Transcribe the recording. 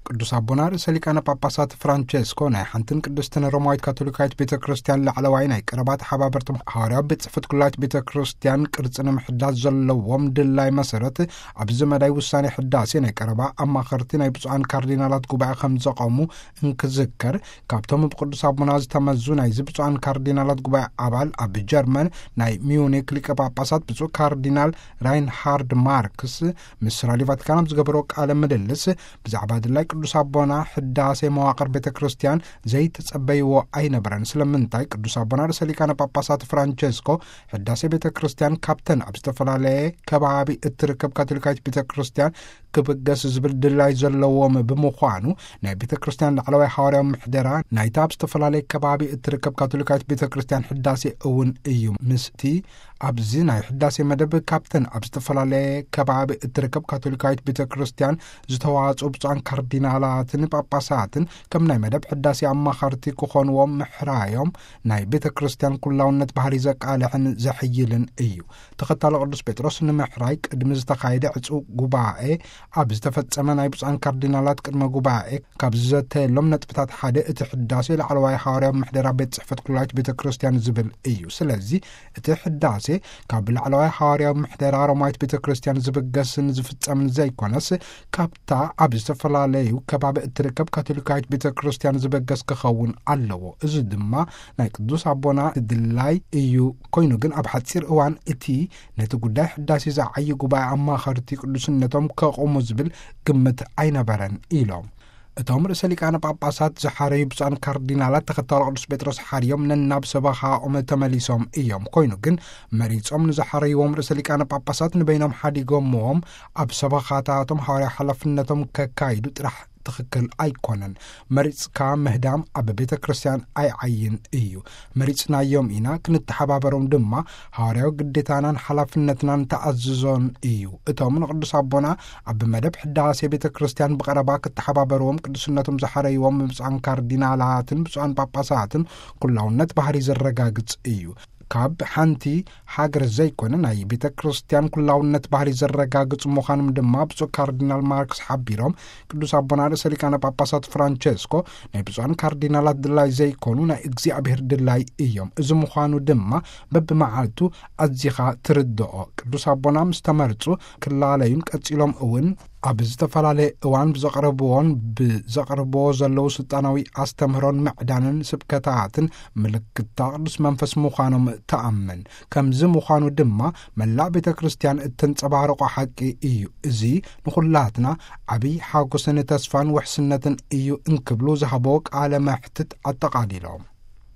ቅዱስ ኣቦና ርእሰ ሊቃነ ጳጳሳት ፍራንቸስኮ ናይ ሓንትን ቅድስትን ሮማዊት ካቶሊካዊት ቤተ ክርስቲያን ላዕለዋይ ናይ ቀረባ ተሓባበርቶም ሃዋርያዊ ቤት ጽሕፈት ኩላዊት ቤተ ክርስቲያን ቅርጺ ንምሕዳስ ዘለዎም ድላይ መሰረት፣ ኣብዚ መዳይ ውሳኔ ሕዳሴ ናይ ቀረባ ኣማኸርቲ ናይ ብፁዓን ካርዲናላት ጉባኤ ከም ዘቐሙ እንክዝከር፣ ካብቶም ብቅዱስ ኣቦና ዝተመዙ ናይዚ ብፁዓን ካርዲናላት ጉባኤ ኣባል ኣብ ጀርመን ናይ ሚዩኒክ ሊቀ ጳጳሳት ብፁዕ ካርዲናል ራይንሃርድ ማርክስ ምስ ራድዮ ቫቲካን ኣብ ዝገበሮ ቃለ ምልልስ፣ ብዛዕባ ድላይ ቅዱስ ኣቦና ሕዳሴ መዋቕር ቤተ ክርስቲያን ዘይተጸበይዎ ኣይነበረን። ስለምንታይ ቅዱስ ኣቦና ርእሰ ሊቃነ ጳጳሳት ፍራንቸስኮ ሕዳሴ ቤተ ክርስቲያን ካብተን ኣብ ዝተፈላለየ ከባቢ እትርከብ ካቶሊካዊት ቤተ ክርስቲያን ክብገስ ዝብል ድላይ ዘለዎም ብምዃኑ፣ ናይ ቤተ ክርስቲያን ላዕለዋይ ሃዋርያዊ ምሕደራ ናይታ ኣብ ዝተፈላለየ ከባቢ እትርከብ ካቶሊካዊት ቤተ ክርስቲያን ሕዳሴ እውን እዩ። ምስቲ ኣብዚ ናይ ሕዳሴ መደብ ካብተን ኣብ ዝተፈላለየ ከባቢ እትርከብ ካቶሊካዊት ቤተ ክርስቲያን ዝተዋጽኡ ብፁዓን ካርዲናላትን ጳጳሳትን ከም ናይ መደብ ሕዳሴ ኣማኸርቲ ክኾንዎም ምሕራዮም ናይ ቤተ ክርስቲያን ኩላውነት ባህሪ ዘቃልሕን ዘሕይልን እዩ። ተኸታሊ ቅዱስ ጴጥሮስ ንምሕራይ ቅድሚ ዝተኻየደ ዕጹው ጉባኤ ኣብ ዝተፈጸመ ናይ ብፁዓን ካርዲናላት ቅድመ ጉባኤ ካብ ዝዘተየሎም ነጥብታት ሓደ እቲ ሕዳሴ ላዕለዋይ ሃዋርያዊ ምሕደራ ቤት ጽሕፈት ኩላዊት ቤተ ክርስቲያን ዝብል እዩ። ስለዚ እቲ ሕዳሴ ካብ ላዕለዋይ ሃዋርያዊ ምሕደራ ሮማዊት ቤተ ክርስቲያን ዝብገስን ዝፍጸምን ዘይኮነስ፣ ካብታ ኣብ ዝተፈላለዩ ከባቢ እትርከብ ካቶሊካዊት ቤተ ክርስቲያን ዝበገስ ክኸውን ኣለዎ። እዚ ድማ ናይ ቅዱስ ኣቦና ድላይ እዩ። ኮይኑ ግን ኣብ ሓጺር እዋን እቲ ነቲ ጉዳይ ሕዳሴ ዝዓዪ ጉባኤ ኣማኸርቲ ቅዱስነቶም ከቑሙ ዝብል ግምት ኣይነበረን ኢሎም። እቶም ርእሰ ሊቃነ ጳጳሳት ዝሓረዩ ብፁዓን ካርዲናላት ተኸታሎ ቅዱስ ጴጥሮስ ሓርዮም ነናብ ሰበኻኦም ተመሊሶም እዮም። ኮይኑ ግን መሪጾም ንዝሓረይዎም ርእሰ ሊቃነ ጳጳሳት ንበይኖም ሓዲጎምዎም ኣብ ሰበኻታቶም ሃዋርያ ሓላፍነቶም ከካይዱ ጥራሕ ትኽክል ኣይኮነን። መሪጽካ ምህዳም ኣብ ቤተ ክርስቲያን ኣይዓይን እዩ። መሪጽናዮም ኢና፣ ክንተሓባበሮም ድማ ሃዋርያዊ ግዴታናን ሓላፍነትናን ተኣዝዞን እዩ። እቶም ንቅዱስ ኣቦና ኣብ መደብ ሕዳሴ ቤተ ክርስቲያን ብቐረባ ክተሓባበርዎም ቅዱስነቶም ዝሓረይዎም ብፁዓን ካርዲናላትን ብፁዓን ጳጳሳትን ኩላውነት ባህሪ ዘረጋግጽ እዩ። ካብ ሓንቲ ሃገር ዘይኮነ ናይ ቤተ ክርስቲያን ኩላውነት ባህሪ ዘረጋግጽ ምዃኖም ድማ ብፁዕ ካርዲናል ማርክስ ሓቢሮም፣ ቅዱስ ኣቦና ርእሰ ሊቃነ ጳጳሳት ፍራንቸስኮ ናይ ብፁዓን ካርዲናላት ድላይ ዘይኮኑ ናይ እግዚኣብሔር ድላይ እዮም። እዚ ምዃኑ ድማ በብመዓልቱ ኣዚኻ ትርድኦ። ቅዱስ ኣቦና ምስ ተመርጹ ክላለዩን ቀጺሎም እውን ኣብ ዝተፈላለየ እዋን ብዘቕረብዎን ብዘቕርብዎ ዘለዉ ስልጣናዊ ኣስተምህሮን ምዕዳንን ስብከታትን ምልክታ ቅዱስ መንፈስ ምዃኖም ተኣምን። ከምዚ ምዃኑ ድማ መላእ ቤተ ክርስቲያን እተንጸባርቆ ሓቂ እዩ። እዚ ንኹላትና ዓብይ ሓጎስን ተስፋን ውሕስነትን እዩ እንክብሉ ዝሃቦ ቃለ መሕትት ኣጠቓሊሎም።